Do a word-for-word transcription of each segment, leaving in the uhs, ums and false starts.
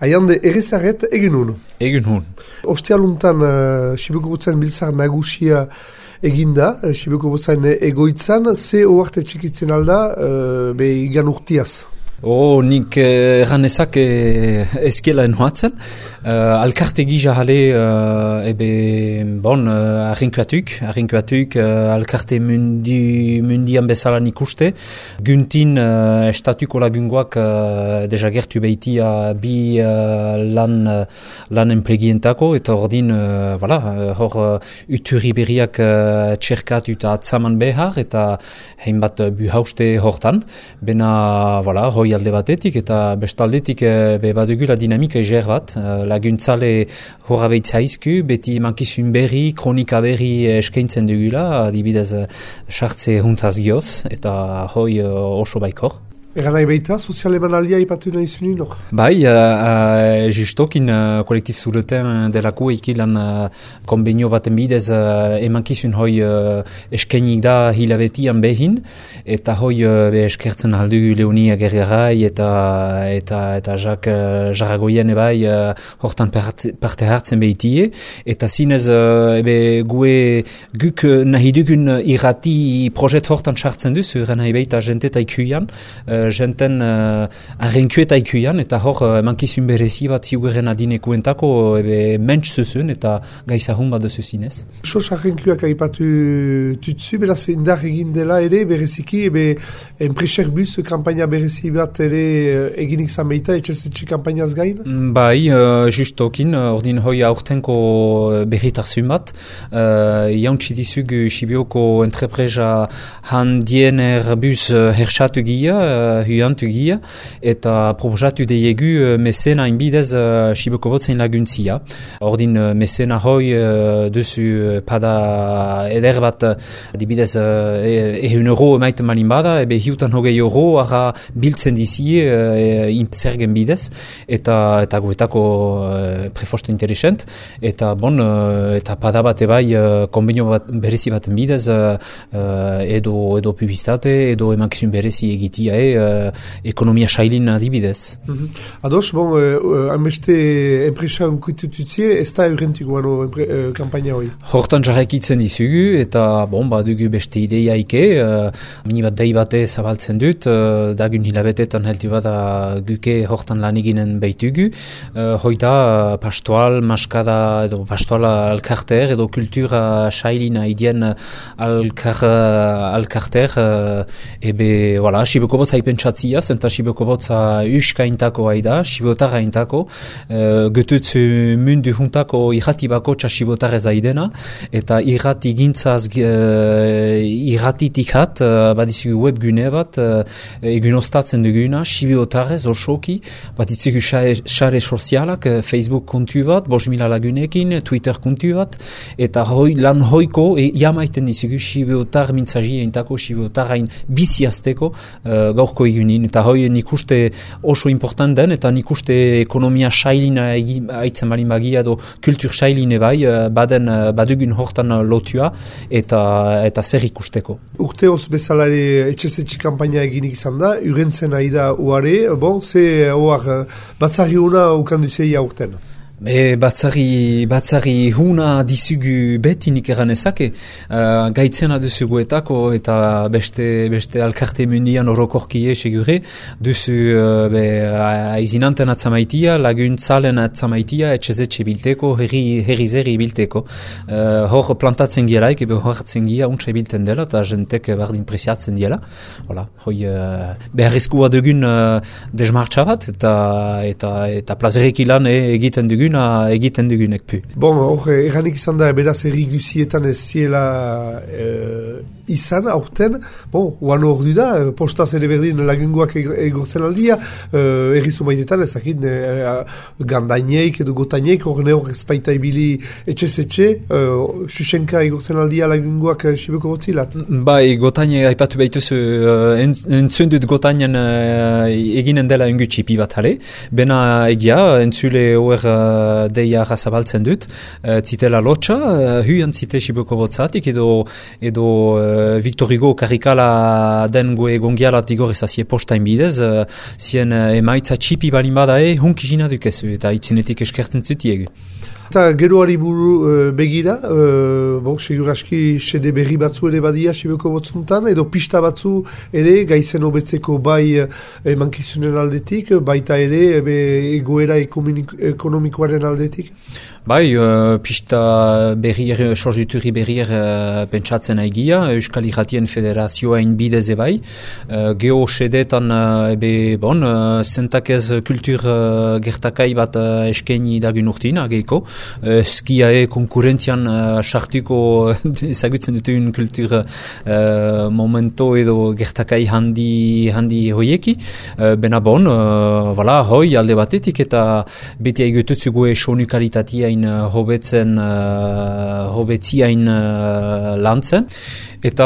Aiande errezaret egin hun. Egin hun. Ostialuntan uh, Sibeko Bozain biltzar nagusia eginda, uh, Sibeko Bozain egoitzan, ze oarte txikitzen alda, uh, be igan urtiaz? Oh, nik erranezak eh, ezkiela enhoatzen. Uh, alkarte gisa jale, uh, ebe, bon, uh, arrinkuatuk, arrinkuatuk, uh, alkarte mundi, mundian bezala nik uste. Guntin uh, estatuko lagungoak uh, deja gertu behitia bi uh, lan, uh, lan enplegientako, eta ordin, uh, voilà, uh, hor uh, uturi berriak uh, txerkat eta atzaman behar, eta hainbat uh, buhauste hortan. Bena, voilà, hoi alde batetik eta bestaldetik e, be badugula dinamika eger bat. E, laguntzale horra behitza izku, beti mankizun berri, kronika berri eskaintzen dugula, adibidez sartze huntaz gioz, eta hoi oso baikor. Egan nahi behita, sozial emanaldia ipatu nahi zunin, no? Bai, uh, uh, justokin uh, kolektif zureten delako ikilan uh, konbenio baten bidez uh, emankizun hoi uh, eskainik da hilabetian behin, eta hoi uh, be eskertzen aldu Leonia Gergarai eta eta eta Jak uh, Jaragoien ebai uh, hortan parte hartzen behitie, eta zinez uh, ebe gue guk nahi dugun irrati projet hortan sartzen duzu, eran nahi behita jenteta ikuian, uh, jenten uh, arrenkueta ikuian, eta hor uh, mankizun berezi bat ziugeren adinekuentako ebe mentz zuzun, eta gaizahun bat duzu zinez. Sos arrenkuak aipatu tutzu, beraz indar egin dela ere, bereziki, ebe enpreser bus kampaina berezi bat ere eginik zameita, etxezetxe kampainaz gain? Bai, uh, justokin, ordin hoi aurtenko berritarzun bat, uh, jauntsi dizug Sibioko entrepresa handien erbus uh, hersatu gia, uh, huiantu gia, eta proposatu deiegu uh, mesena inbidez uh, Sibeko Bozain laguntzia. Ordin uh, mesena hoi uh, duzu uh, pada eder bat, adibidez uh, ehun euro emaiten malin bada, ebe hiutan hogei euro ara biltzen dizie uh, zergen bidez, eta eta guetako uh, prefosto interesent, eta bon, uh, eta pada bat ebai uh, konbenio bat berezi baten bidez uh, uh, edo, edo publizitate, edo emankizun berezi egitia e, uh, ekonomia sailin adibidez. Mm-hmm. Ados, bon, uh, hanbeste enpresa unkuitututzie, ez da eurentuk guano uh, kampaina hoi? Hortan jarraikitzen dizugu, eta bon, badugu beste ideia ike, uh, mini bat dei bate zabaltzen dut, uh, dagun hilabetetan heldu bada guke hortan lan eginen behitugu, uh, hoita uh, pastoal, maskada, edo pastoal alkarter, edo kultura sailina idien alkar, alkarter, uh, ebe, voilà, Sibeko Botza ipentsatzia, zenta Sibeko Botza uskaintako haida, Sibotarra intako, uh, götutzu mundu juntako irrati bako txa Sibotarrez aidena, eta irrati gintzaz uh, irratitik hat, uh, badizugu webgune bat, uh, egun ostatzen duguna, Sibotarrez osoki, badizugu xare sozialak, uh, Facebook kontu bat, bost mila lagunekin, Twitter kontu bat, eta hoi, lan hoiko, e, jamaiten dizugu Sibotar mintzaji intako, Sibotarrain biziazteko, uh, gaurko egunin, eta hoi nik uste oso important den, eta nik uste ekonomia sailina aitzen balin bagia, edo kultur sailine bai, baden badugun hortan lotua, eta eta zer ikusteko. Urte hoz bezalare etxezetxe kampaina eginik izan da, urentzen aida uare, bon, ze oar batzari hona ukanduzei aurten? E, batzari, batzari huna dizugu beti nik eranezake, uh, gaitzena duzuguetako eta beste, beste alkarte mundian orokorkie segure, duzu uh, be, aizinanten atzamaitia, laguntzalen atzamaitia, etxezetxe bilteko, herri, herri zeri bilteko. Uh, hor plantatzen gielaik, ebe hor hartzen gia, untsa bilten dela, eta jentek bardin presiatzen diela. Hola, hoi uh, beharrezkoa dugun uh, desmartxa bat, eta, eta, eta plazerek ilan e, egiten dugun, egiten dugunek pu. Bon, hor, erranik izan da, beraz erri guzietan ez ziela e, izan, aurten, bon, uan hor du da, postaz ere berdin lagungoak egortzen aldia, e, erri zumaidetan ezakit, e, gandaineik edo gotaineik, hor ne hor ezpaita ibili etxe-zetxe, e, susenka egortzen aldia lagungoak Sibeko Botzilat. Bai, gotaine aipatu behituzu, entzun dut gotainen eginen dela ungu txipi bat hale, bena egia, entzule hor deia razabaltzen dut, uh, zitela lotxa, uh, huian zite Sibeko Botzatik, edo, edo uh, uh, Victor Hugo karrikala den goe gongialat igor ezazie postain bidez, uh, zien uh, emaitza txipi balin badae, hunk izina dukezu, eta itzinetik eskertzen zutiegu. Eta geroari buru uh, begira, uh, bon, seguraski sede berri batzu ere badia Sibioko botzuntan, edo pista batzu ere gaizen hobetzeko bai uh, emankizunen aldetik, baita ere ebe, egoera ekonomikoaren aldetik? Bai, uh, pista berrier, sorgituri berrier uh, pentsatzen aigia, Euskal Irratien Federazioain bideze bai. Uh, Geo sedetan, uh, ebe, bon, uh, zentakez kultur uh, gertakai bat uh, eskaini dagun urtin, ageiko. Uh, Skiae konkurrentzian uh, sartuko ezagutzen dutun kultur uh, momento edo gertakai handi, handi hoieki. Uh, bena bon, uh, voilà, hoi alde batetik eta beti aigututzugu esonu kalitatia hobetzen uh, hobetziain uh, lantzen eta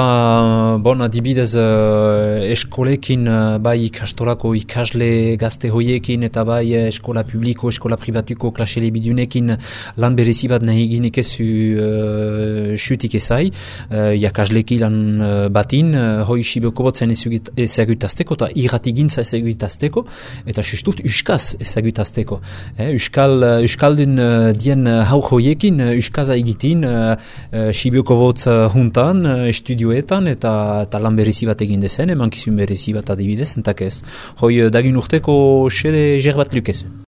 bon, adibidez uh, eskolekin uh, bai ikastolako ikasle gazte hoiekin eta bai eskola publiko, eskola privatuko klasele bidunekin lan berezi bat nahi ginek ezu uh, xutik ezai uh, jakasleki lan uh, batin uh, hoi Sibioko botzen ezagutazteko eta irratigintza ezagutazteko eta justut uskaz ezagutazteko eh, Euskal, uh, Euskaldun uh, dien uh, hau hoiekin uh, uskaza egitin uh, uh, Sibioko botz uh, juntan uh, studioetan eta, eta lan berezi bat egin dezen, emankizun berezi bat adibidez, entak ez. Hoi, dagun urteko xede jer bat lukezu.